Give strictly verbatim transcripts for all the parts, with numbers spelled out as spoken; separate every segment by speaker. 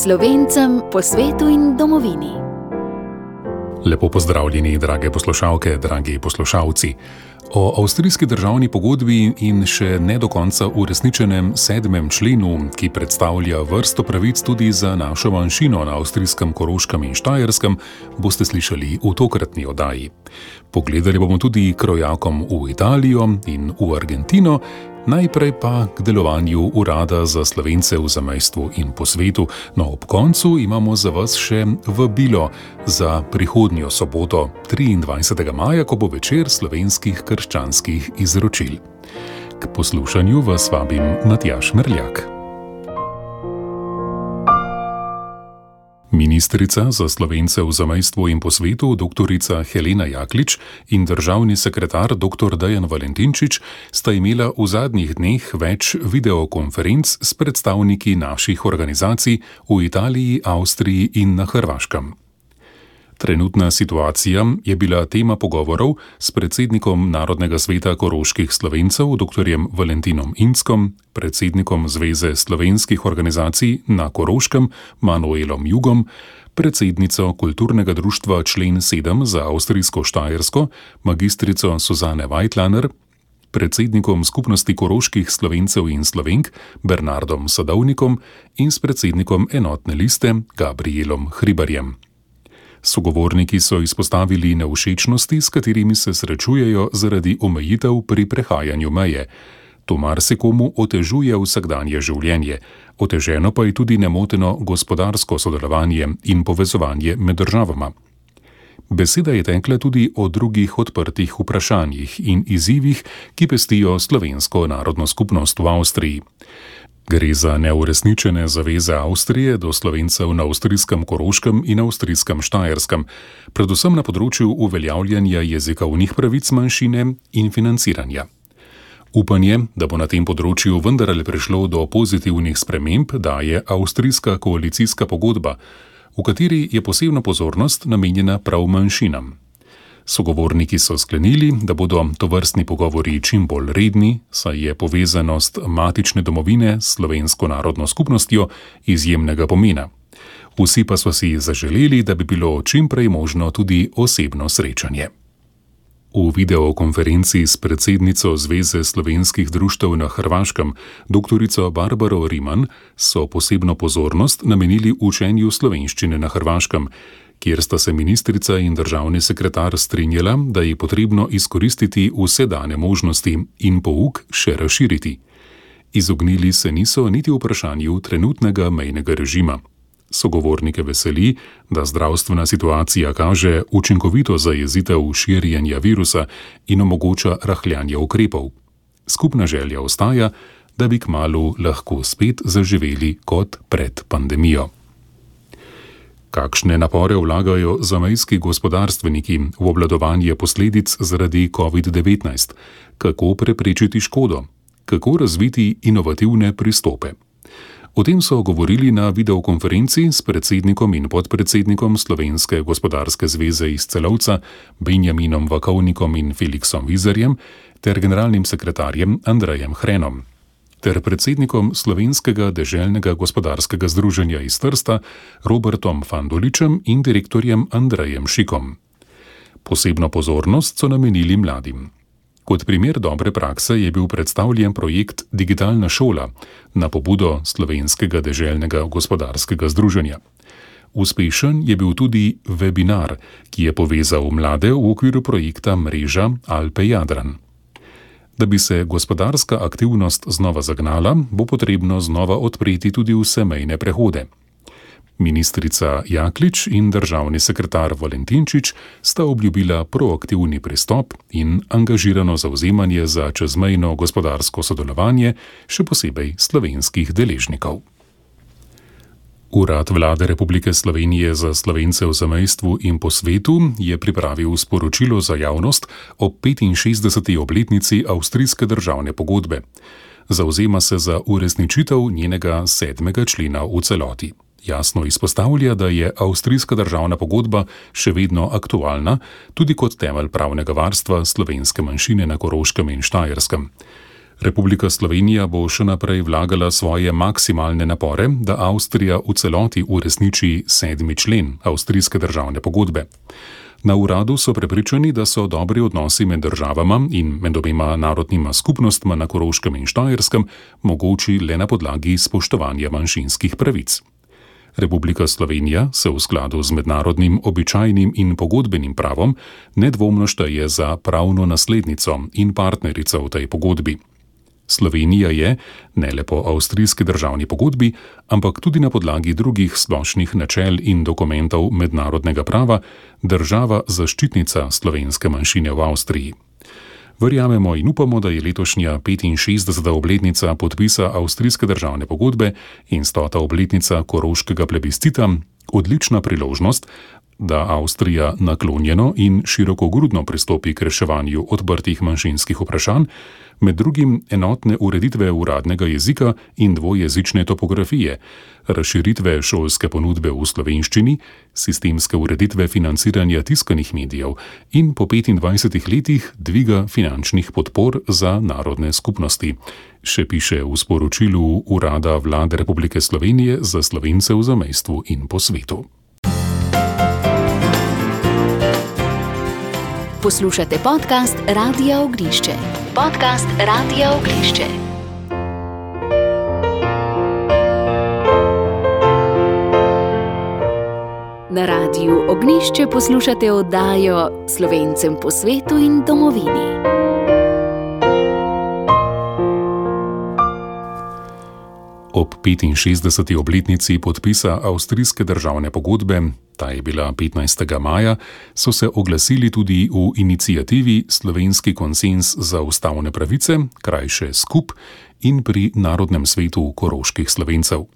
Speaker 1: Slovencem po svetu in domovini.
Speaker 2: Lepo pozdravljeni, drage poslušalke, dragi poslušalci. O avstrijski državni pogodbi in še ne do konca uresničenem sedmem členu, ki predstavlja vrsto pravic tudi za našo manjšino na avstrijskem Koroškem in Štajerskem, boste slišali v tokratni oddaji. Pogledali bomo tudi krojakom v Italijo in v Argentino, najprej pa k delovanju Urada za Slovence v zamejstvu in po svetu. No, ob koncu imamo za vas še vabilo za prihodnjo soboto, triindvajsetega maja, ko bo večer slovenskih krščanskih izročil. K poslušanju vas vabim Matjaž Merljak. Ministrica za Slovence v zamejstvu in po svetu doktorica Helena Jaklič in državni sekretar doktor Dejan Valentinčič sta imela v zadnjih dneh več videokonferenc s predstavniki naših organizacij v Italiji, Avstriji in na Hrvaškem. Trenutna situacija je bila tema pogovorov s predsednikom Narodnega sveta koroških Slovencev doktorjem Valentinom Inckom, predsednikom Zveze slovenskih organizacij na Koroškem Manuelom Jugom, predsednico Kulturnega društva Člen sedem za avstrijsko Štajersko magistrico Suzane Weitlaner, predsednikom Skupnosti koroških Slovencev in Slovenk Bernardom Sadovnikom in s predsednikom Enotne liste Gabrielom Hribarjem. Sogovorniki so izpostavili nevšečnosti, s katerimi se srečujejo zaradi omejitev pri prehajanju meje. To marsikomu otežuje vsakdanje življenje, oteženo pa je tudi nemoteno gospodarsko sodelovanje in povezovanje med državama. Beseda je tekla tudi o drugih odprtih vprašanjih in izzivih, ki pestijo slovensko narodno skupnost v Avstriji. Gre za neuresničene zaveze Avstrije do Slovencev na avstrijskem Koroškem in avstrijskem Štajerskem, predvsem na področju uveljavljanja jezikovnih pravic manjšine in financiranja. Upanje, da bo na tem področju vendarle prišlo do pozitivnih sprememb, daje avstrijska koalicijska pogodba, v kateri je posebna pozornost namenjena prav manjšinam. Sogovorniki so sklenili, da bodo tovrstni pogovori čim bolj redni, saj je povezanost matične domovine s slovensko narodno skupnostjo izjemnega pomena. Vsi pa so si zaželeli, da bi bilo čim prej možno tudi osebno srečanje. V videokonferenci s predsednico Zveze slovenskih društev na Hrvaškem, doktorico Barbaro Riman, so posebno pozornost namenili učenju slovenščine na Hrvaškem, kjer sta se ministrica in državni sekretar strinjala, da je potrebno izkoristiti vse dane možnosti in pouk še razširiti. Izognili se niso niti vprašanju trenutnega mejnega režima. Sogovornike veseli, da zdravstvena situacija kaže učinkovito zajezitev širjenja virusa in omogoča rahljanje ukrepov. Skupna želja ostaja, da bi kmalu lahko spet zaživeli kot pred pandemijo. Kakšne napore vlagajo zamejski gospodarstveniki v obvladovanje posledic zaradi covid devetnajst? Kako preprečiti škodo? Kako razviti inovativne pristope? O tem so govorili na videokonferenci s predsednikom in podpredsednikom Slovenske gospodarske zveze iz Celovca Benjaminom Vakovnikom in Felixom Vizarjem ter generalnim sekretarjem Andrejem Hrenom ter predsednikom Slovenskega deželnega gospodarskega združenja iz Trsta Robertom Fandoličem in direktorjem Andrejem Šikom. Posebno pozornost so namenili mladim. Kot primer dobre prakse je bil predstavljen projekt Digitalna šola na pobudo Slovenskega deželnega gospodarskega združenja. Uspešen je bil tudi webinar, ki je povezal mlade v okviru projekta Mreža Alpe Jadran. Da bi se gospodarska aktivnost znova zagnala, bo potrebno znova odpreti tudi vse mejne prehode. Ministrica Jaklič in državni sekretar Valentinčič sta obljubila proaktivni pristop in angažirano zavzemanje za čezmejno gospodarsko sodelovanje, še posebej slovenskih deležnikov. Urad Vlade Republike Slovenije za Slovence v zamejstvu in po svetu je pripravil sporočilo za javnost o petinšestdeseti obletnici avstrijske državne pogodbe. Zavzema se za uresničitev njenega sedmega člena v celoti. Jasno izpostavlja, da je avstrijska državna pogodba še vedno aktualna, tudi kot temelj pravnega varstva slovenske manjšine na Koroškem in Štajerskem. Republika Slovenija bo še naprej vlagala svoje maksimalne napore, da Avstrija v celoti uresniči sedmi člen avstrijske državne pogodbe. Na uradu so prepričani, da so dobri odnosi med državama in med obema narodnima skupnostma na Koroškem in Štajerskem mogoči le na podlagi spoštovanja manjšinskih pravic. Republika Slovenija se v skladu z mednarodnim običajnim in pogodbenim pravom nedvomno šteje za pravno naslednico in partnerico v tej pogodbi. Slovenija je, ne le po avstrijski državni pogodbi, ampak tudi na podlagi drugih splošnih načel in dokumentov mednarodnega prava, država zaščitnica slovenske manjšine v Avstriji. Verjamemo in upamo, da je letošnja petinšestdeseta obletnica podpisa avstrijske državne pogodbe in stota obletnica koroškega plebiscita odlična priložnost, da Avstrija naklonjeno in širokogrudno pristopi k reševanju odprtih manjšinskih vprašanj, med drugim enotne ureditve uradnega jezika in dvojezične topografije, razširitve šolske ponudbe v slovenščini, sistemske ureditve financiranja tiskanih medijev in po petindvajsetih letih dviga finančnih podpor za narodne skupnosti, še piše v sporočilu Urada Vlade Republike Slovenije za Slovence v zamejstvu in po svetu.
Speaker 1: Poslušate podcast Radia Ognišče. Podcast Radia Ognišče. Na Radiu Ognišče poslušate oddajo Slovencem po svetu in domovini.
Speaker 2: Ob petinšestdeseti obletnici podpisa avstrijske državne pogodbe, ta je bila petnajstega maja, so se oglasili tudi v iniciativi Slovenski konsenz za ustavne pravice, krajše SKUP, in pri Narodnem svetu koroških Slovencev.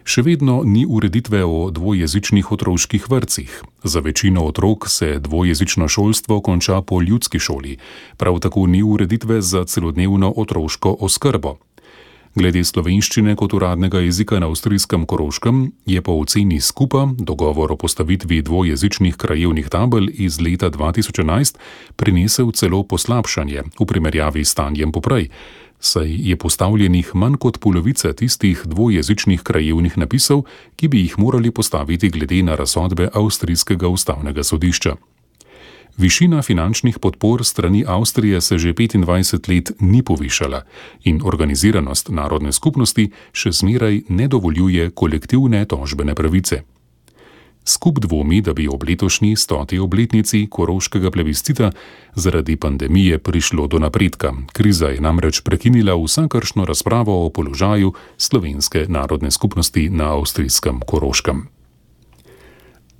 Speaker 2: Še vedno ni ureditve o dvojezičnih otroških vrtcih. Za večino otrok se dvojezično šolstvo konča po ljudski šoli, prav tako ni ureditve za celodnevno otroško oskrbo. Glede slovenščine kot uradnega jezika na avstrijskem Koroškem je po oceni SKUP-a dogovor o postavitvi dvojezičnih krajevnih tabel iz leta dva tisoč enajst prinesel celo poslabšanje v primerjavi s stanjem poprej, saj je postavljenih manj kot polovica tistih dvojezičnih krajevnih napisov, ki bi jih morali postaviti glede na razsodbe avstrijskega ustavnega sodišča. Višina finančnih podpor strani Avstrije se že petindvajset let ni povišala in organiziranost narodne skupnosti še zmeraj ne dovoljuje kolektivne tožbene pravice. SKUP dvomi, da bi ob letošnji stoti obletnici koroškega plebiscita zaradi pandemije prišlo do napredka. Kriza je namreč prekinila vsakršno razpravo o položaju slovenske narodne skupnosti na avstrijskem Koroškem.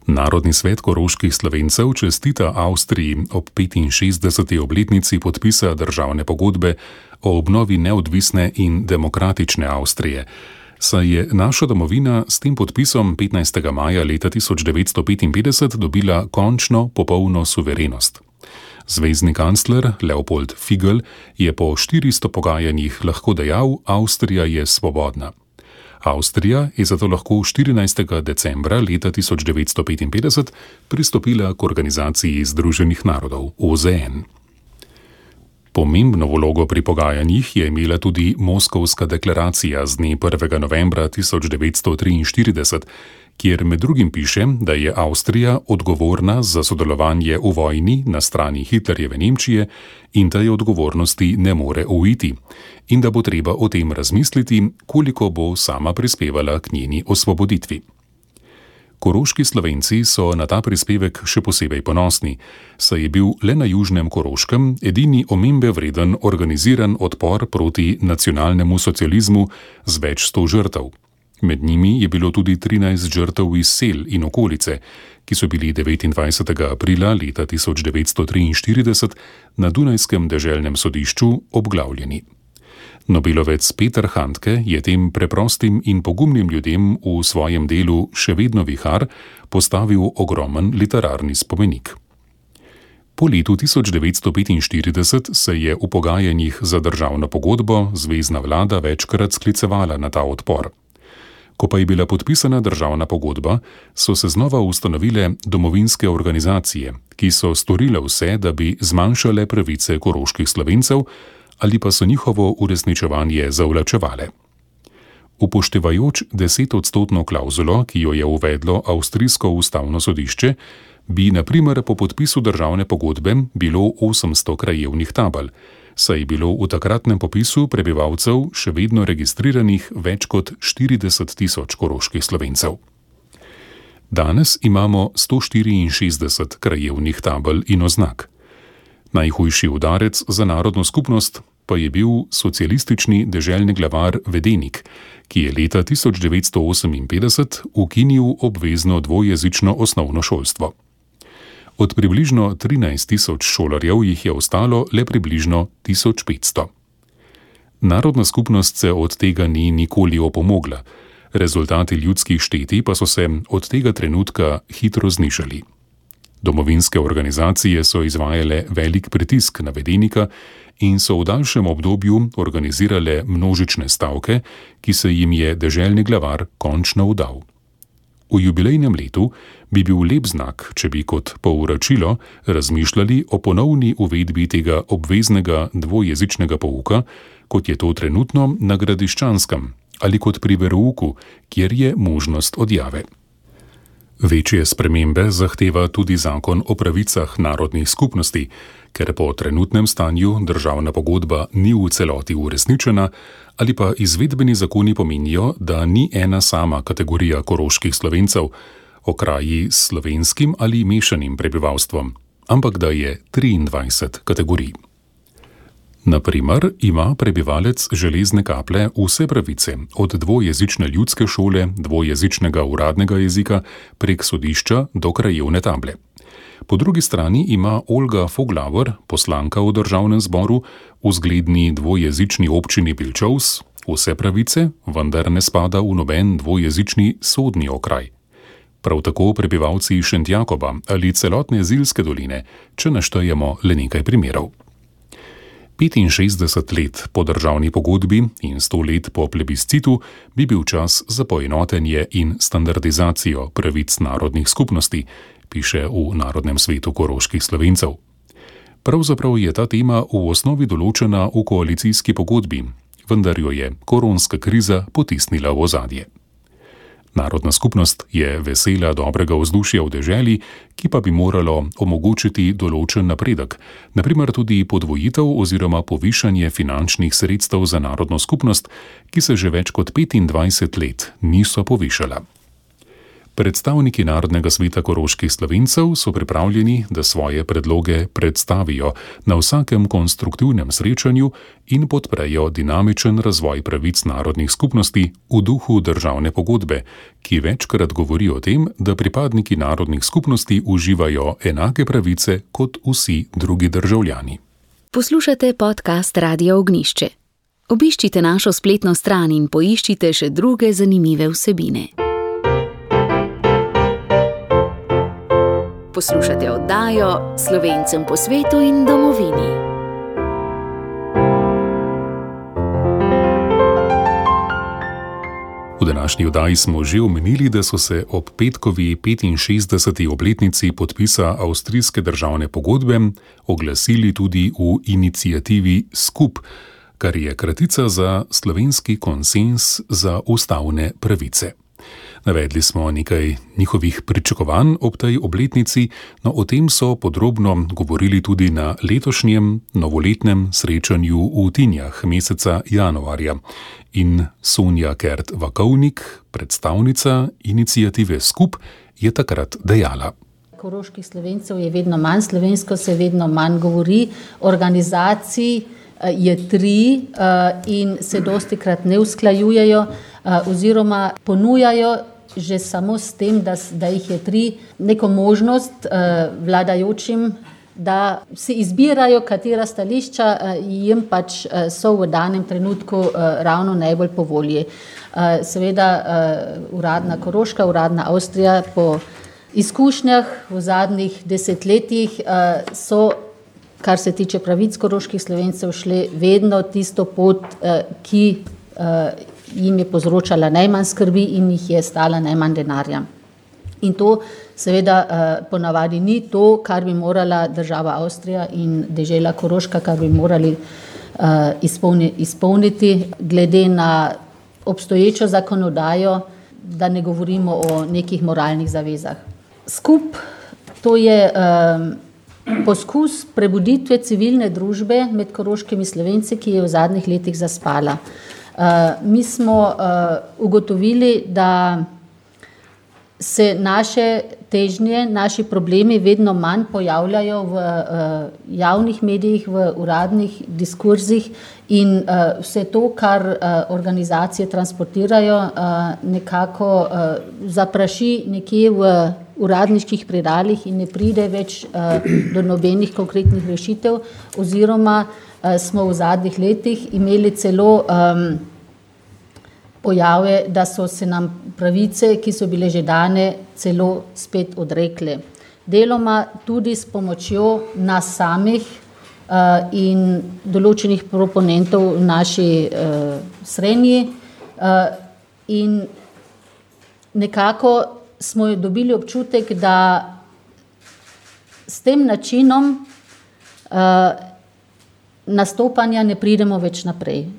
Speaker 2: Narodni svet koroških Slovencev čestita Avstriji ob petinšestdeseti obletnici podpisa državne pogodbe o obnovi neodvisne in demokratične Avstrije, saj je naša domovina s tem podpisom petnajstega maja leta tisoč devetsto petinpetdeset dobila končno popolno suverenost. Zvezni kancler Leopold Figl je po štiristo pogajanjih lahko dejal: Avstrija je svobodna. Avstrija je zato lahko štirinajstega decembra leta tisoč devetsto petinpetdeset pristopila k Organizaciji združenih narodov O Z N. Pomembno vlogo pri pogajanjih je imela tudi Moskovska deklaracija z dne prvega novembra tisoč devetsto triinštirideset, kjer med drugim piše, da je Avstrija odgovorna za sodelovanje v vojni na strani Hitlerjeve Nemčije in da je odgovornosti ne more uiti in da bo treba o tem razmisliti, koliko bo sama prispevala k njeni osvoboditvi. Koroški Slovenci so na ta prispevek še posebej ponosni, saj je bil le na južnem Koroškem edini omembe vreden organiziran odpor proti nacionalnemu socializmu z več sto žrtev. Med njimi je bilo tudi trinajst žrtev iz sel in okolice, ki so bili devetindvajsetega aprila leta tisoč devetsto triinštirideset na Dunajskem deželnem sodišču obglavljeni. Nobelovec Peter Handke je tem preprostim in pogumnim ljudem v svojem delu Še vedno vihar postavil ogromen literarni spomenik. Po letu tisoč devetsto petinštirideset se je v pogajanjih za državno pogodbo zvezna vlada večkrat sklicevala na ta odpor. Ko pa je bila podpisana državna pogodba, so se znova ustanovile domovinske organizacije, ki so storile vse, da bi zmanjšale pravice koroških Slovencev, ali pa so njihovo uresničevanje zavlačevale. Upoštevajoč desetodstotno klavzulo, ki jo je uvedlo avstrijsko ustavno sodišče, bi na primer po podpisu državne pogodbe bilo osemsto krajevnih tabel, saj je bilo v takratnem popisu prebivalcev še vedno registriranih več kot štirideset tisoč koroških Slovencev. Danes imamo sto štiriinšestdeset krajevnih tabel in oznak. Najhujši udarec za narodno skupnost pa je bil socialistični deželni glavar Vedenik, ki je leta tisoč devetsto oseminpetdeset ukinil obvezno dvojezično osnovno šolstvo. Od približno trinajst tisoč šolarjev jih je ostalo le približno tisoč petsto. Narodna skupnost se od tega ni nikoli opomogla, rezultati ljudskih štetij pa so se od tega trenutka hitro znižali. Domovinske organizacije so izvajale velik pritisk na Vedenika in so v daljšem obdobju organizirale množične stavke, ki se jim je deželni glavar končno vdal. V jubilejnem letu bi bil lep znak, če bi kot povračilo razmišljali o ponovni uvedbi tega obveznega dvojezičnega pouka, kot je to trenutno na Gradiščanskem, ali kot pri verouku, kjer je možnost odjave. Večje spremembe zahteva tudi zakon o pravicah narodnih skupnosti, ker po trenutnem stanju državna pogodba ni v celoti uresničena, ali pa izvedbeni zakoni pomenijo, da ni ena sama kategorija koroških Slovencev, okraji s slovenskim ali mešanim prebivalstvom, ampak da je triindvajset kategorij. Na primer, ima prebivalec Železne Kaple vse pravice, od dvojezične ljudske šole, dvojezičnega uradnega jezika, prek sodišča do krajevne table. Po drugi strani ima Olga Foglavar, poslanka v državnem zboru, v zgledni dvojezični občini Pilčovs, vse pravice, vendar ne spada v noben dvojezični sodni okraj. Prav tako prebivalci Šentjakoba ali celotne Zilske doline, če naštejemo le nekaj primerov. petinšestdeset let po državni pogodbi in sto let po plebiscitu bi bil čas za poenotenje in standardizacijo pravic narodnih skupnosti, piše v Narodnem svetu koroških Slovencev. Pravzaprav je ta tema v osnovi določena v koalicijski pogodbi, vendar jo je koronska kriza potisnila v ozadje. Narodna skupnost je vesela dobrega vzdušja v deželi, ki pa bi moralo omogočiti določen napredek, na primer tudi podvojitev oziroma povišanje finančnih sredstev za narodno skupnost, ki se že več kot petindvajset let niso povišala. Predstavniki Narodnega sveta koroških Slovencev so pripravljeni, da svoje predloge predstavijo na vsakem konstruktivnem srečanju in podprejo dinamičen razvoj pravic narodnih skupnosti v duhu državne pogodbe, ki večkrat govori o tem, da pripadniki narodnih skupnosti uživajo enake pravice kot vsi drugi državljani.
Speaker 1: Poslušate podcast Radia Ognjišče. Obiščite našo spletno stran in poiščite še druge zanimive vsebine. Poslušate oddajo Slovencem po svetu in domovini.
Speaker 2: V današnji oddaji smo že omenili, da so se ob petkovi petinšestdeseti obletnici podpisa avstrijske državne pogodbe oglasili tudi v iniciativi Skup, kar je kratica za slovenski konsenz za ustavne pravice. Navedli smo nekaj njihovih pričakovanj ob tej obletnici, no o tem so podrobno govorili tudi na letošnjem novoletnem srečanju v Tinjah meseca januarja. In Sonja Kert-Vakovnik, predstavnica iniciative Skup, je takrat dejala.
Speaker 3: Koroških Slovencev je vedno manj, slovensko se vedno manj govori, organizacij je tri in se dostikrat ne usklajujejo oziroma ponujajo že samo s tem, da, da jih je tri, neko možnost vladajočim, da si izbirajo, katera stališča jim pač so v danem trenutku ravno najbolj po volji. Seveda uradna Koroška, uradna Avstrija po izkušnjah v zadnjih desetletjih so, kar se tiče pravic koroških Slovencev, šli vedno tisto pot, ki jim je povzročala najmanj skrbi in jih je stala najmanj denarja. In to seveda ponavadi ni to, kar bi morala država Avstrija in dežela Koroška, kar bi morali izpolni, izpolniti glede na obstoječo zakonodajo, da ne govorimo o nekih moralnih zavezah. Skup to je um, poskus prebuditve civilne družbe med koroškimi Slovenci, ki je v zadnjih letih zaspala. Uh, mi smo uh, ugotovili, da se naše težnje, naši problemi vedno manj pojavljajo v uh, javnih medijih, v uradnih diskurzih in uh, vse to, kar uh, organizacije transportirajo, uh, nekako uh, zapraši nekje v uradniških predalih in ne pride več uh, do nobenih konkretnih rešitev, oziroma uh, smo v zadnjih letih imeli celo um, pojave, da so se nam pravice, ki so bile že dane, celo spet odrekle. Deloma tudi s pomočjo nas samih uh, in določenih proponentov v naši uh, srenji uh, in nekako smo dobili občutek, da s tem načinom uh, nastopanja ne pridemo več naprej.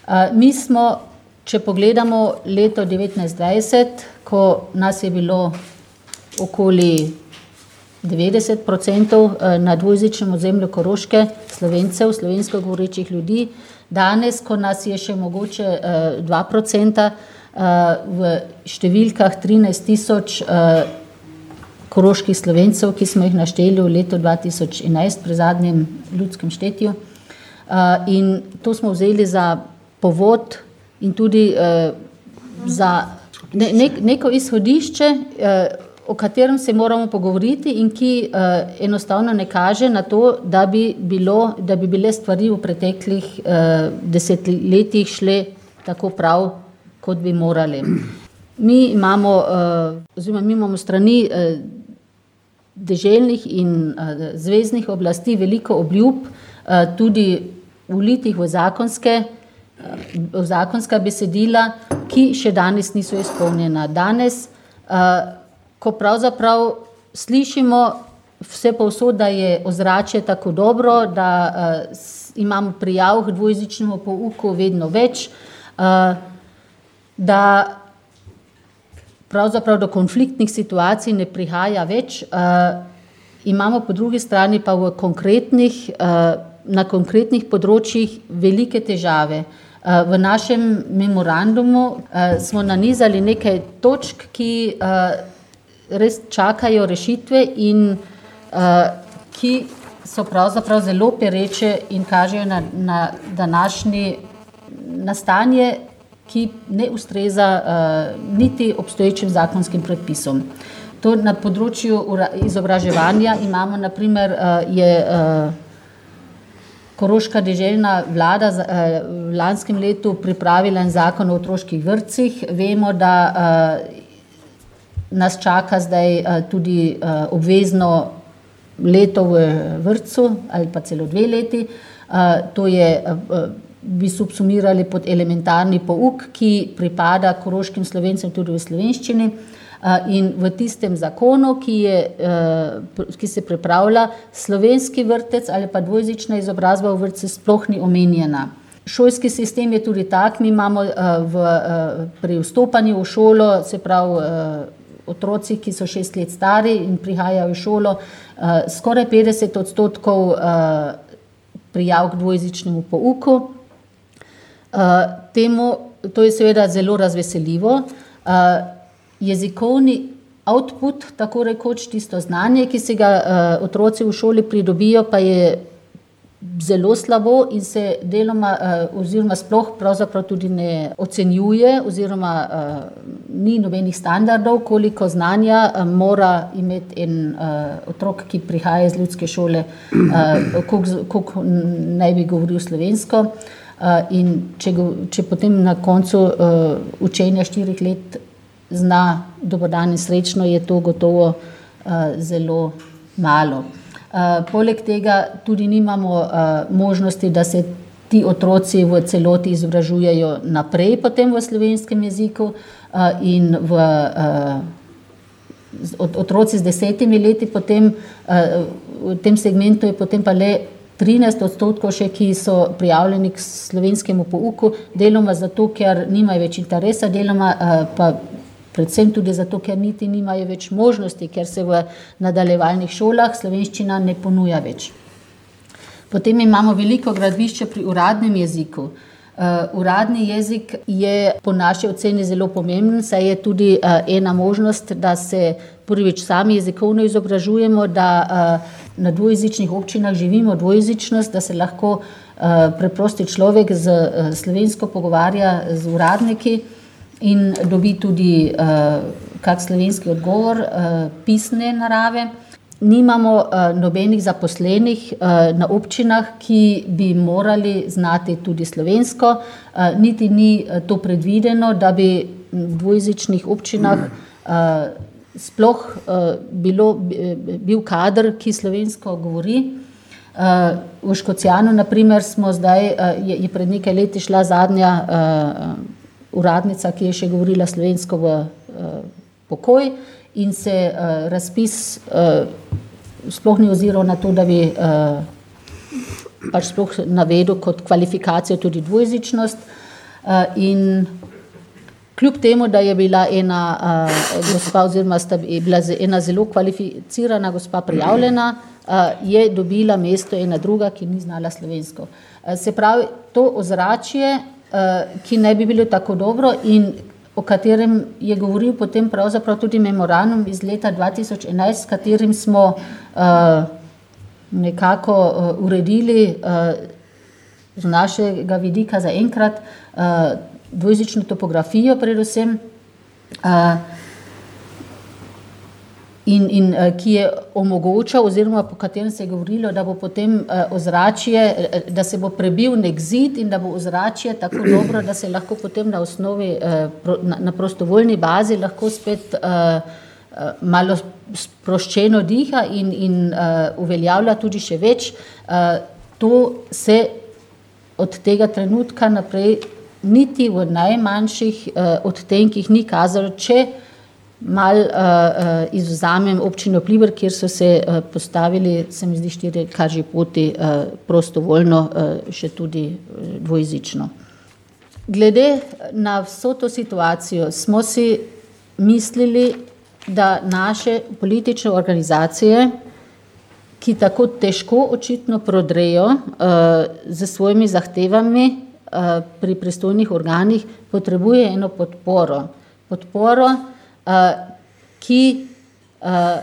Speaker 3: Uh, mi smo, če pogledamo leto devetnajst dvajset, ko nas je bilo okoli devetdeset procentov na dvojezičnem ozemlju Koroške, Slovencev, slovensko govorečih ljudi, danes, ko nas je še mogoče dva procenta, v številkah trinajst tisoč koroških Slovencev, ki smo jih našteli v letu dva tisoč enajst pri zadnjem ljudskem štetju. In to smo vzeli za povod in tudi uh, za ne, ne, neko izhodišče, uh, o katerem se moramo pogovoriti in ki uh, enostavno ne kaže na to, da bi, bilo, da bi bile stvari v preteklih uh, desetletjih šle tako prav, kot bi morali. Mi imamo, uh, oziroma mi imamo strani uh, deželnih in uh, zveznih oblasti veliko obljub, uh, tudi vlitih v zakonske v zakonska besedila, ki še danes niso izpolnjena. Danes, ko pravzaprav slišimo vse povsod, da je ozračje tako dobro, da imamo prijav k dvojezičnemu pouku vedno več, da pravzaprav do konfliktnih situacij ne prihaja več, imamo po drugi strani pa v konkretnih, na konkretnih področjih velike težave. V našem memorandumu smo nanizali nekaj točk, ki res čakajo rešitve in ki so pravzaprav zelo pereče in kažejo na, na današnji nastanje, ki ne ustreza niti obstoječim zakonskim predpisom. To na področju izobraževanja imamo, na primer, je Koroška deželna vlada v lanskem letu pripravila en zakon o otroških vrtcih. Vemo, da nas čaka zdaj tudi obvezno leto v vrtcu ali pa celo dve leti. To je, bi subsumirali pod elementarni pouk, ki pripada koroškim Slovencem tudi v slovenščini. In v tistem zakonu, ki, je, ki se pripravlja, slovenski vrtec ali pa dvojezična izobrazba v vrtcu sploh ni omenjena. Šolski sistem je tudi tak, mi imamo v, pri vstopanju v šolo, se pravi otroci, ki so šest let stari in prihajajo v šolo, skoraj petdeset odstotkov prijav k dvojezičnemu pouku. Temu, to je seveda zelo razveseljivo. Jezikovni output, tako rekoč, tisto znanje, ki se ga uh, otroci v šoli pridobijo, pa je zelo slabo in se deloma uh, oziroma sploh pravzaprav tudi ne ocenjuje oziroma uh, ni nobenih standardov, koliko znanja uh, mora imeti en uh, otrok, ki prihaja iz ljudske šole, uh, koliko, koliko naj bi govoril slovensko. Uh, in če, go, če potem na koncu uh, učenja štirih let zna dober dan in srečno, je to gotovo uh, zelo malo. Uh, poleg tega tudi nimamo uh, možnosti, da se ti otroci v celoti izobražujejo naprej potem v slovenskem jeziku uh, in v uh, otroci z desetimi leti potem, uh, v tem segmentu je potem pa le trinajst odstotkov še, ki so prijavljeni k slovenskemu pouku, deloma zato, ker nimajo več interesa, deloma pa predvsem tudi zato, ker niti nimajo več možnosti, ker se v nadaljevalnih šolah slovenščina ne ponuja več. Potem imamo veliko gradbišče pri uradnem jeziku. Uh, uradni jezik je po naši oceni zelo pomemben, saj je tudi uh, ena možnost, da se prvič sami jezikovno izobražujemo, da uh, na dvojezičnih občinah živimo dvojezičnost, da se lahko uh, preprosti človek z uh, slovensko pogovarja z uradniki in dobi tudi uh, kak slovenski odgovor uh, pisne narave. Nimamo uh, nobenih zaposlenih uh, na občinah, ki bi morali znati tudi slovensko, uh, niti ni uh, to predvideno, da bi v dvojezičnih občinah uh, sploh uh, bilo, bil kader, ki slovensko govori. Uh, v Škocjanu, na primer, smo zdaj, uh, je, je pred nekaj leti šla zadnja uh, uradnica, ki je še govorila slovensko v uh, pokoj, in se uh, razpis uh, sploh ni oziral na to, da bi uh, pač sploh navedel kot kvalifikacijo tudi dvojezičnost. Uh, in kljub temu, da je bila ena uh, gospa oziroma sta je bila ena zelo kvalificirana gospa prijavljena, uh, je dobila mesto ena druga, ki ni znala slovensko. Uh, se pravi, to ozračje, uh, ki ne bi bilo tako dobro in o katerem je govoril potem pravzaprav tudi memorandum iz leta dva tisoč enajst, s katerim smo uh, nekako uh, uredili uh, z našega vidika za enkrat uh, dvojezično topografijo predvsem, uh, in, in uh, ki je omogočal oziroma po katerem se je govorilo, da bo potem uh, ozračje, da se bo prebil nek zid in da bo ozračje tako dobro, da se lahko potem na osnovi, uh, pro, na, na prostovoljni bazi lahko spet uh, uh, malo sproščeno diha in, in uh, uveljavlja tudi še več. Uh, to se od tega trenutka naprej niti v najmanjših uh, odtenkih ni kazalo, če mal uh, uh, izvzamem občino Pliber, kjer so se uh, postavili, se mi zdi, štiri kaži poti uh, prostovoljno, uh, še tudi uh, dvojezično. Glede na vso to situacijo smo si mislili, da naše politične organizacije, ki tako težko očitno prodrejo uh, z svojimi zahtevami uh, pri pristojnih organih, potrebuje eno podporo. Podporo, Uh, ki uh,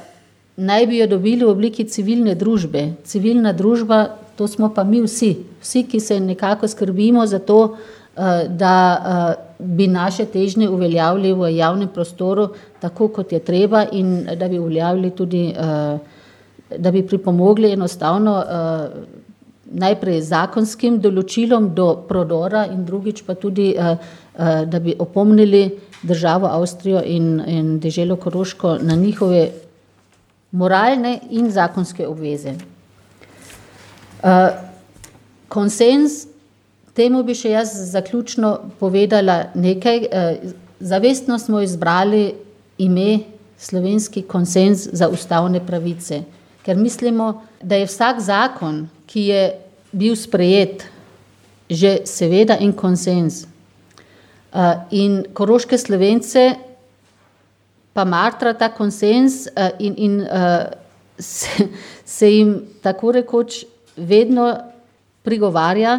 Speaker 3: naj bi jo dobili v obliki civilne družbe. Civilna družba, to smo pa mi vsi, vsi, ki se nekako skrbimo za to, uh, da uh, bi naše težnje uveljavili v javnem prostoru tako, kot je treba in da bi uveljavili tudi, uh, da bi pripomogli enostavno uh, najprej zakonskim določilom do prodora in drugič pa tudi, uh, uh, da bi opomnili državo Avstrijo in, in deželo Koroško na njihove moralne in zakonske obveze. Uh, konsens, temu bi še jaz zaključno povedala nekaj. Uh, zavestno smo izbrali ime slovenski konsens za ustavne pravice, ker mislimo, da je vsak zakon, ki je bil sprejet, že seveda en konsens. Uh, in koroške Slovence pa matra ta konsens uh, in, in uh, se, se jim tako rekoč vedno prigovarja,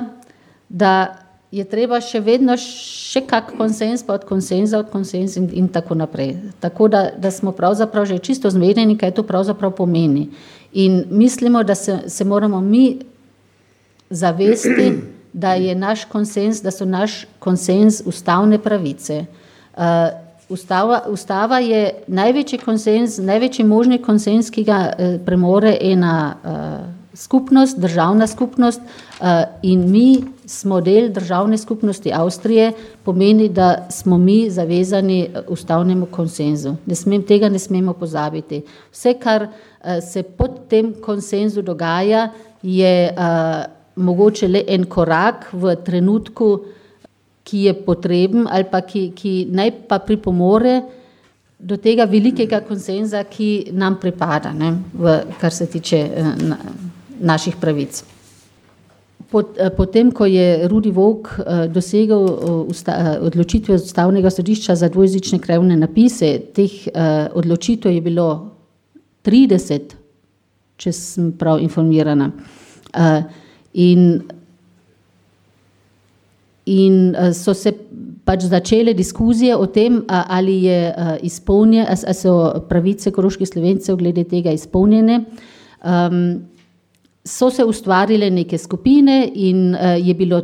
Speaker 3: da je treba še vedno še kak konsens, pa od konsenza, od konsens in, in tako naprej. Tako da, da smo pravzaprav že čisto zmedeni, kaj to pravzaprav pomeni. In mislimo, da se, se moramo mi zavesti, da je naš konsens, da so naš konsens ustavne pravice. Uh, ustava, ustava je največji konsens, največji možni konsens, ki ga uh, premore ena uh, skupnost, državna skupnost, uh, in mi smo del državne skupnosti Avstrije, pomeni, da smo mi zavezani ustavnemu konsenzu. Ne smem, tega ne smemo pozabiti. Vse, kar uh, se pod tem konsenzu dogaja, je uh, mogoče le en korak v trenutku, ki je potreben ali pa ki, ki naj pa pripomore do tega velikega konsenza, ki nam pripada, ne, v, kar se tiče na, naših pravic. Potem, ko je Rudi Vovk dosegel odločitve Ustavnega sodišča za dvojezične krajevne napise, teh odločitev je bilo trideset, če sem prav informirana. In, in so se pač začele diskuzije o tem, ali je izpolnjene, ali so pravice koroških Slovencev glede tega izpolnjene. So se ustvarile neke skupine in uh, je, bilo,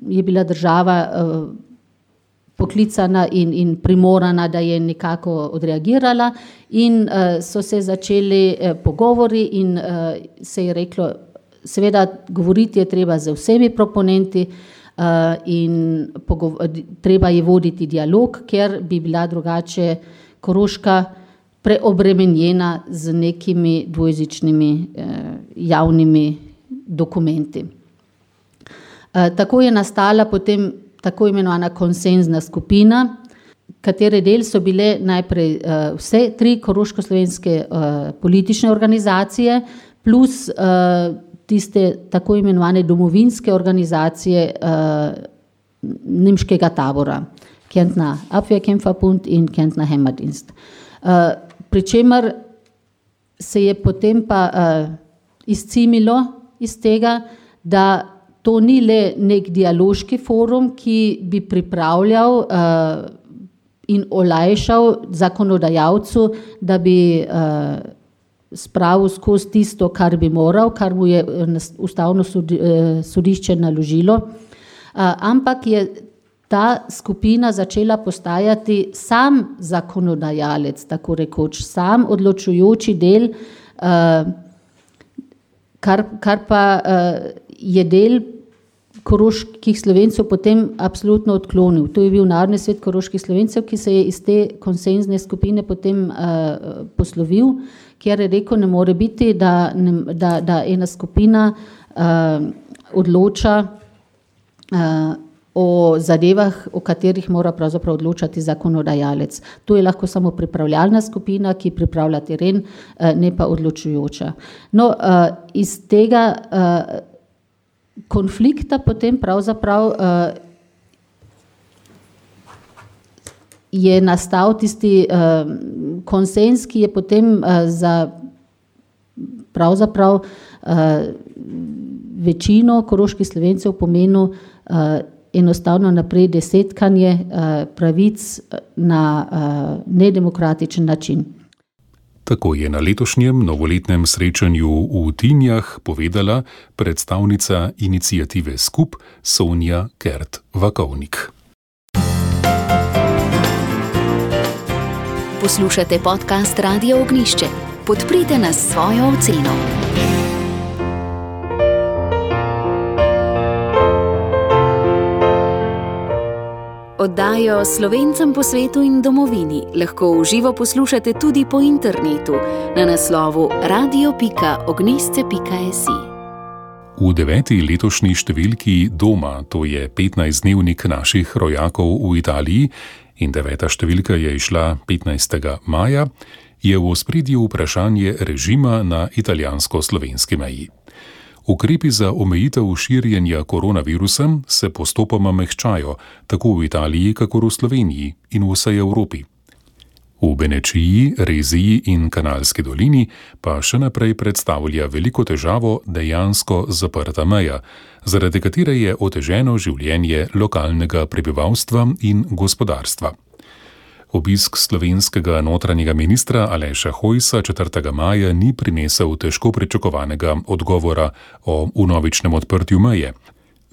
Speaker 3: je bila država uh, poklicana in, in primorana, da je nekako odreagirala in uh, so se začeli uh, pogovori in uh, se je reklo, seveda govoriti je treba z vsemi proponenti uh, in treba je voditi dialog, ker bi bila drugače Koroška preobremenjena z nekimi dvojezičnimi eh, javnimi dokumenti. Eh, tako je nastala potem tako imenovana konsenzna skupina, katere del so bile najprej eh, vse tri koroško-slovenske eh, politične organizacije, plus eh, tiste tako imenovane domovinske organizacije eh, nemškega tabora, Kärntner Abwehrkämpferbund in Kärntner Heimatdienst. Eh, Pričemer se je potem pa uh, izcimilo iz tega, da to ni le nek dialoški forum, ki bi pripravljal uh, in olajšal zakonodajalcu, da bi uh, spravil skozi tisto, kar bi moral, kar mu je ustavno sodi, uh, sodišče naložilo, uh, ampak je ta skupina začela postajati sam zakonodajalec, tako rekoč, sam odločujoči del, uh, kar, kar pa uh, je del koroških Slovencev potem absolutno odklonil. To je bil Narodni svet koroških Slovencev, ki se je iz te konsenzne skupine potem uh, poslovil, kjer je rekel, ne more biti, da, ne, da, da ena skupina uh, odloča uh, o zadevah, o katerih mora pravzaprav odločati zakonodajalec. To je lahko samo pripravljalna skupina, ki pripravlja teren, ne pa odločujoča. No, iz tega konflikta potem pravzaprav je nastal tisti konsenz, ki je potem za pravzaprav večino koroških Slovencev pomenil enostavno naprej desetkanje uh, pravic na uh, nedemokratičen način.
Speaker 2: Tako je na letošnjem novoletnem srečanju v Tinjah povedala predstavnica iniciative Skup Sonja Kert-Vakovnik.
Speaker 1: Poslušate podcast Radia Ognišče. Podprite nas s svojo oceno. Oddajo Slovencem po svetu in domovini lahko v živo poslušate tudi po internetu na naslovu radio pika ognisce pika si.
Speaker 2: V deveti letošnji številki Doma, to je petnajstdnevnik naših rojakov v Italiji in deveta številka je išla petnajstega maja, je v ospredju vprašanje režima na italijansko-slovenski meji. Ukrepi za omejitev širjenja koronavirusa se postopoma mehčajo, tako v Italiji, kakor v Sloveniji in v vsej Evropi. V Benečiji, Reziji in Kanalski dolini pa še naprej predstavlja veliko težavo dejansko zaprta meja, zaradi katere je oteženo življenje lokalnega prebivalstva in gospodarstva. Obisk slovenskega notranjega ministra Aleša Hojsa četrtega maja ni prinesel težko pričakovanega odgovora o vnovičnem odprtju meje.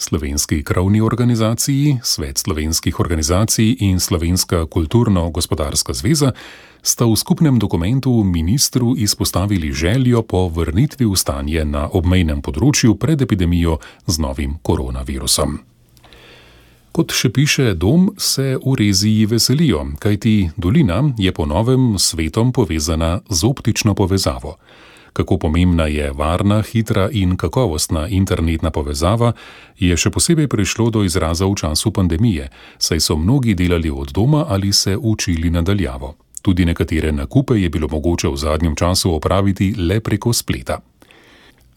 Speaker 2: Slovenski krovni organizaciji, Svet slovenskih organizacij in Slovenska kulturno-gospodarska zveza sta v skupnem dokumentu ministru izpostavili željo po vrnitvi v stanje na obmejnem področju pred epidemijo z novim koronavirusom. Kot še piše Dom, se v Reziji veselijo, kajti dolina je po novem s svetom povezana z optično povezavo. Kako pomembna je varna, hitra in kakovostna internetna povezava, je še posebej prišlo do izraza v času pandemije, saj so mnogi delali od doma ali se učili nadaljavo. Tudi nekatere nakupe je bilo mogoče v zadnjem času opraviti le preko spleta.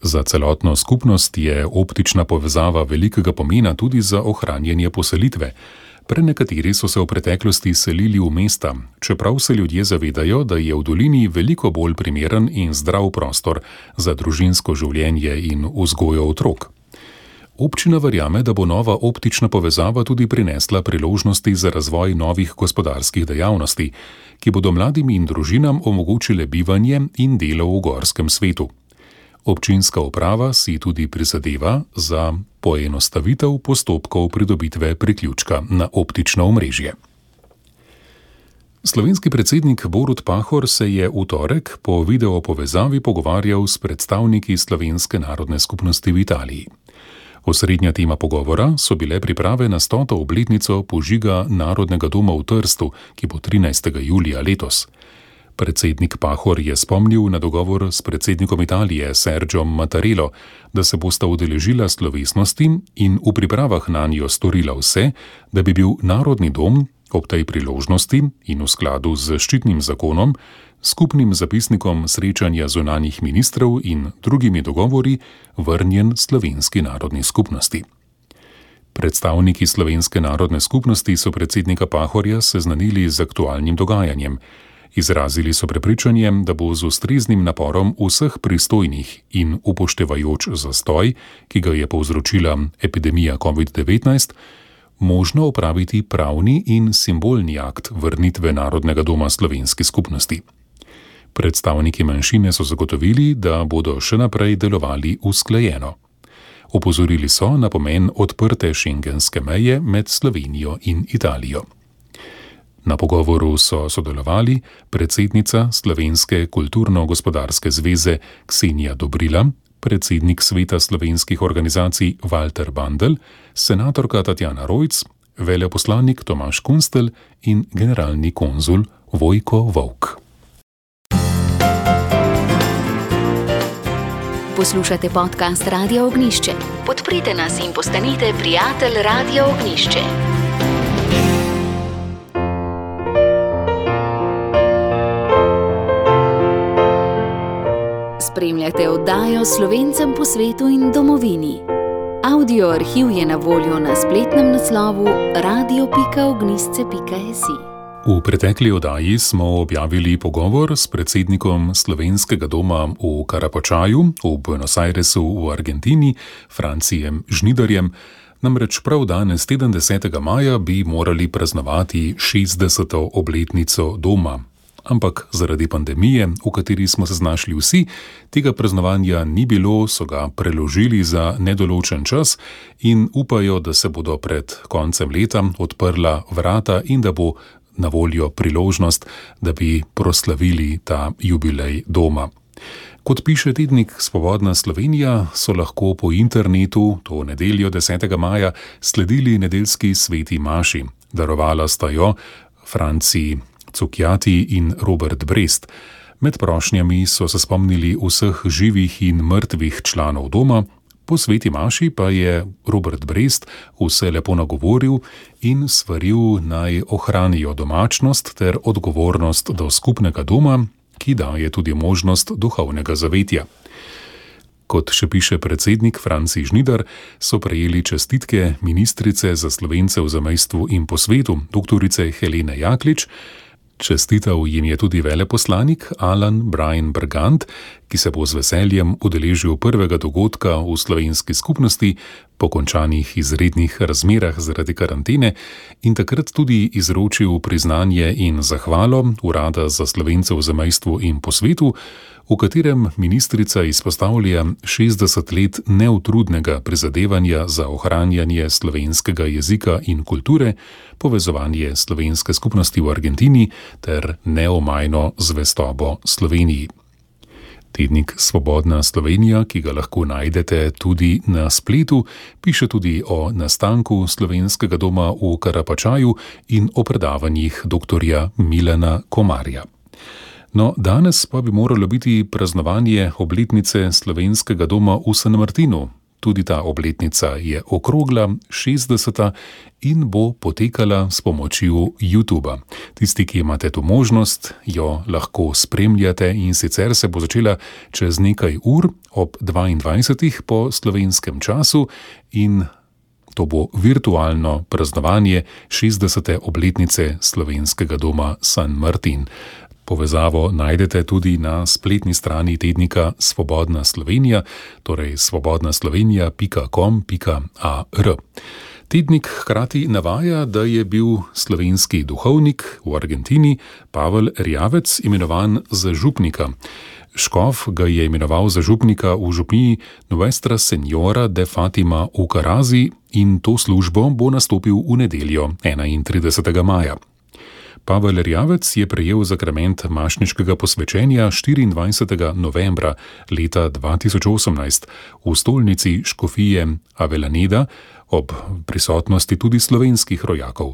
Speaker 2: Za celotno skupnost je optična povezava velikega pomena tudi za ohranjanje poselitve. Prenekateri so se v preteklosti selili v mesta, čeprav se ljudje zavedajo, da je v dolini veliko bolj primeren in zdrav prostor za družinsko življenje in vzgojo otrok. Občina verjame, da bo nova optična povezava tudi prinesla priložnosti za razvoj novih gospodarskih dejavnosti, ki bodo mladim in družinam omogočile bivanje in delo v gorskem svetu. Občinska uprava si tudi prizadeva za poenostavitev postopkov pridobitve priključka na optično omrežje. Slovenski predsednik Borut Pahor se je v torek po video povezavi pogovarjal s predstavniki slovenske narodne skupnosti v Italiji. Osrednja tema pogovora so bile priprave na stoto obletnico požiga Narodnega doma v Trstu, ki bo trinajstega julija letos. Predsednik Pahor je spomnil na dogovor s predsednikom Italije Sergiom Mattarellom, da se bosta udeležila slovesnosti in v pripravah nanjo storila vse, da bi bil Narodni dom ob tej priložnosti in v skladu z zaščitnim zakonom, skupnim zapisnikom srečanja zunanjih ministrov in drugimi dogovori vrnjen slovenski narodni skupnosti. Predstavniki slovenske narodne skupnosti so predsednika Pahorja seznanili z aktualnim dogajanjem. Izrazili so prepričanje, da bo z ustreznim naporom vseh pristojnih in upoštevajoč zastoj, ki ga je povzročila epidemija covid devetnajst, možno opraviti pravni in simbolni akt vrnitve Narodnega doma slovenski skupnosti. Predstavniki manjšine so zagotovili, da bodo še naprej delovali usklajeno. Opozorili so na pomen odprte šengenske meje med Slovenijo in Italijo. Na pogovoru so sodelovali predsednica Slovenske kulturno-gospodarske zveze Ksenija Dobrila, predsednik Sveta slovenskih organizacij Walter Bandl, senatorka Tatjana Rojc, veleposlanik Tomaž Kunstelj in generalni konzul Vojko Volk.
Speaker 1: Poslušate podcast Radia Ognjišče. Podprite nas in postanite prijatelj Radia Ognjišče. Spremljate oddajo Slovencem po svetu in domovini. Audio arhiv je na voljo na spletnem naslovu radio pika ognjišče pika si.
Speaker 2: V pretekli oddaji smo objavili pogovor s predsednikom Slovenskega doma v Karapačaju v Buenos Airesu v Argentini, Francijem Žnidarjem. Namreč prav danes, sedemdesetega maja, bi morali praznovati šestdeseto obletnico doma. Ampak zaradi pandemije, v kateri smo se znašli vsi, tega praznovanja ni bilo, so ga preložili za nedoločen čas in upajo, da se bodo pred koncem leta odprla vrata in da bo na voljo priložnost, da bi proslavili ta jubilej doma. Kot piše tednik Svobodna Slovenija, so lahko po internetu to nedeljo desetega maja sledili nedeljski sveti maši. Darovala sta jo Franci Cukjati in Robert Brest. Med prošnjami so se spomnili vseh živih in mrtvih članov doma, po sveti maši pa je Robert Brest vse lepo nagovoril in svaril naj ohranijo domačnost ter odgovornost do skupnega doma, ki daje tudi možnost duhovnega zavetja. Kot še piše predsednik Franci Žnidar, so prejeli čestitke ministrice za Slovence v zamejstvu in po svetu, doktorice Helene Jaklič. Čestital jim je tudi veleposlanik Alan Brian Bergant, ki se bo z veseljem udeležil prvega dogodka v slovenski skupnosti po končanih izrednih razmerah zaradi karantene in takrat tudi izročil priznanje in zahvalo Urada za Slovence v zamejstvu in po svetu, v katerem ministrica izpostavlja šestdeset let neutrudnega prizadevanja za ohranjanje slovenskega jezika in kulture, povezovanje slovenske skupnosti v Argentini ter neomajno zvestobo Sloveniji. Tednik Svobodna Slovenija, ki ga lahko najdete tudi na spletu, piše tudi o nastanku Slovenskega doma v Karapačaju in o predavanjih doktorja Milana Komarja. No, danes pa bi moralo biti praznovanje obletnice Slovenskega doma v San Martinu. tudi ta obletnica je okrogla, šestdeseta, in bo potekala s pomočjo YouTuba. Tisti, ki imate to možnost, jo lahko spremljate, in sicer se bo začela čez nekaj ur ob dvaindvajsetih po slovenskem času, in to bo virtualno praznovanje šestdesete obletnice slovenskega doma San Martin. Povezavo najdete tudi na spletni strani tednika Svobodna Slovenija, torej svobodna slovenija pika com pika a r. Tednik hkrati navaja, da je bil slovenski duhovnik v Argentini Pavel Erjavec imenovan za župnika. Škof ga je imenoval za župnika v župniji Nuestra Señora de Fátima v Karazi, in to službo bo nastopil v nedeljo, enaintridesetega maja. Pavel Erjavec je prejel zakrament mašniškega posvečenja štiriindvajsetega novembra leta dva tisoč osemnajst v stolnici škofije Avellaneda ob prisotnosti tudi slovenskih rojakov.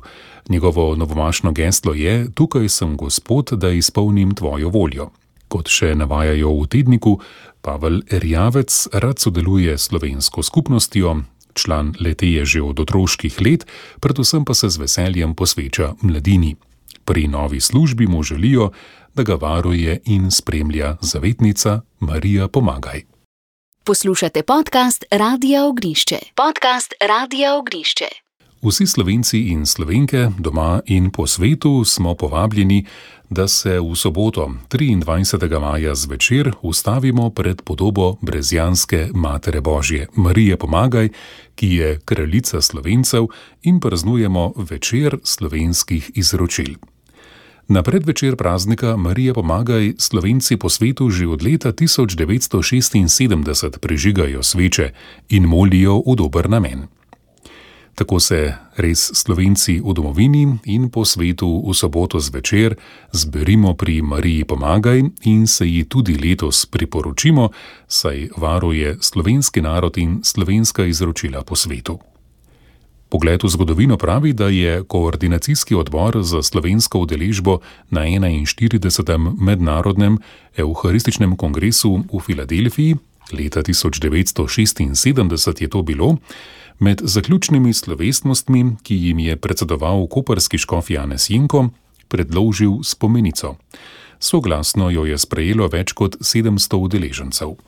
Speaker 2: Njegovo novomašno geslo je: Tukaj sem, Gospod, da izpolnim tvojo voljo. Kot še navajajo v tedniku, Pavel Erjavec rad sodeluje s slovensko skupnostjo, član le-te je že od otroških let, predvsem pa se z veseljem posveča mladini. Pri novi službi mu želijo, da ga varuje in spremlja zavetnica Marija Pomagaj.
Speaker 1: Poslušate podcast Radia Ognišče. Podcast Radia Ognišče.
Speaker 2: Vsi Slovenci in Slovenke doma in po svetu smo povabljeni, da se v soboto, triindvajsetega maja zvečer, ustavimo pred podobo brezjanske Matere Božje, Marije Pomagaj, ki je kraljica Slovencev, in praznujemo večer slovenskih izročil. Na predvečer praznika Marije Pomagaj Slovenci po svetu že od leta tisoč devetsto šestinsedemdeset prižigajo sveče in molijo v dober namen. Tako se res Slovenci v domovini in po svetu v soboto zvečer zberimo pri Mariji Pomagaj in se ji tudi letos priporočimo, saj varuje slovenski narod in slovenska izročila po svetu. Pogled v zgodovino pravi, da je Koordinacijski odbor za slovensko udeležbo na enainštiridesetem mednarodnem evharističnem kongresu v Filadelfiji, leta tisoč devetsto šestinsedemdeset je to bilo, med zaključnimi slovesnostmi, ki jim je predsedoval koprski škof Janez Jenko, predložil spomenico. Soglasno jo je sprejelo več kot sedemsto udeležencev.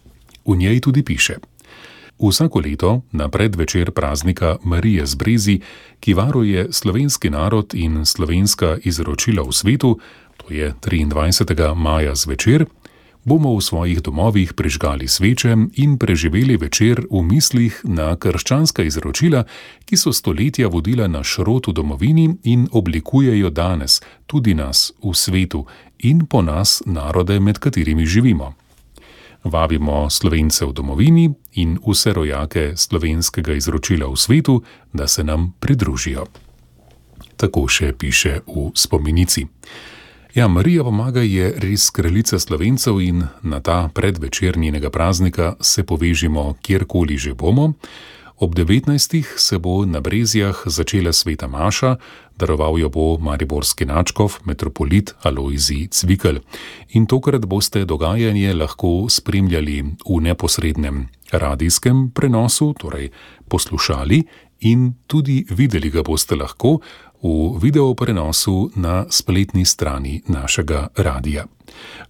Speaker 2: V njej tudi piše: Vsako leto na predvečer praznika Marije z Brezij, ki varuje slovenski narod in slovenska izročila v svetu, to je triindvajsetega maja zvečer, bomo v svojih domovih prižgali sveče in preživeli večer v mislih na krščanska izročila, ki so stoletja vodila naš rod v domovini in oblikujejo danes tudi nas v svetu in po nas narode, med katerimi živimo. Vabimo Slovence v domovini in vse rojake slovenskega izročila v svetu, da se nam pridružijo. Tako še piše v spomenici. Ja, Marija Pomagaj je res kraljica Slovencev in na ta predvečer njenega praznika se povežimo kjerkoli že bomo. Ob devetnajstih se bo na Brezjah začela sveta maša, daroval jo bo mariborski nadškof, metropolit Alojzij Cvikl. In tokrat boste dogajanje lahko spremljali v neposrednem radijskem prenosu, torej poslušali, in tudi videli ga boste lahko v video prenosu na spletni strani našega radija.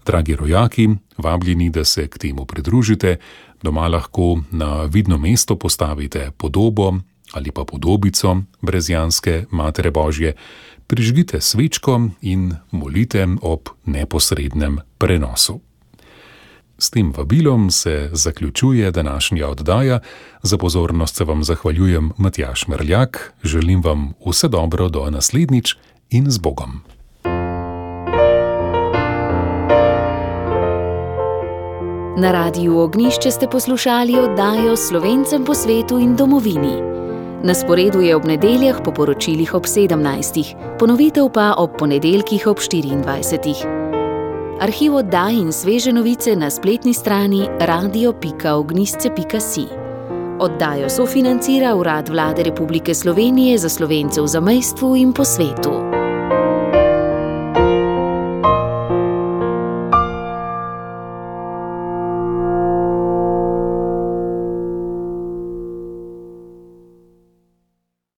Speaker 2: Dragi rojaki, vabljeni, da se k temu pridružite. Doma lahko na vidno mesto postavite podobo ali pa podobico brezjanske Matere Božje, prižgite svečko in molite ob neposrednem prenosu. S tem vabilom se zaključuje današnja oddaja. Za pozornost se vam zahvaljujem Matjaž Merljak, želim vam vse dobro do naslednjič in z Bogom.
Speaker 1: Na Radiu Ognišče ste poslušali oddajo Slovencem po svetu in domovini. Na sporedu je ob nedeljah po poročilih ob sedemnajstih, ponovitev pa ob ponedeljkih ob štiriindvajsetih. Arhiv oddaj in sveže novice na spletni strani radio pika ognisce pika si. Oddajo sofinancira Urad Vlade Republike Slovenije za Slovence v zamejstvu in po svetu.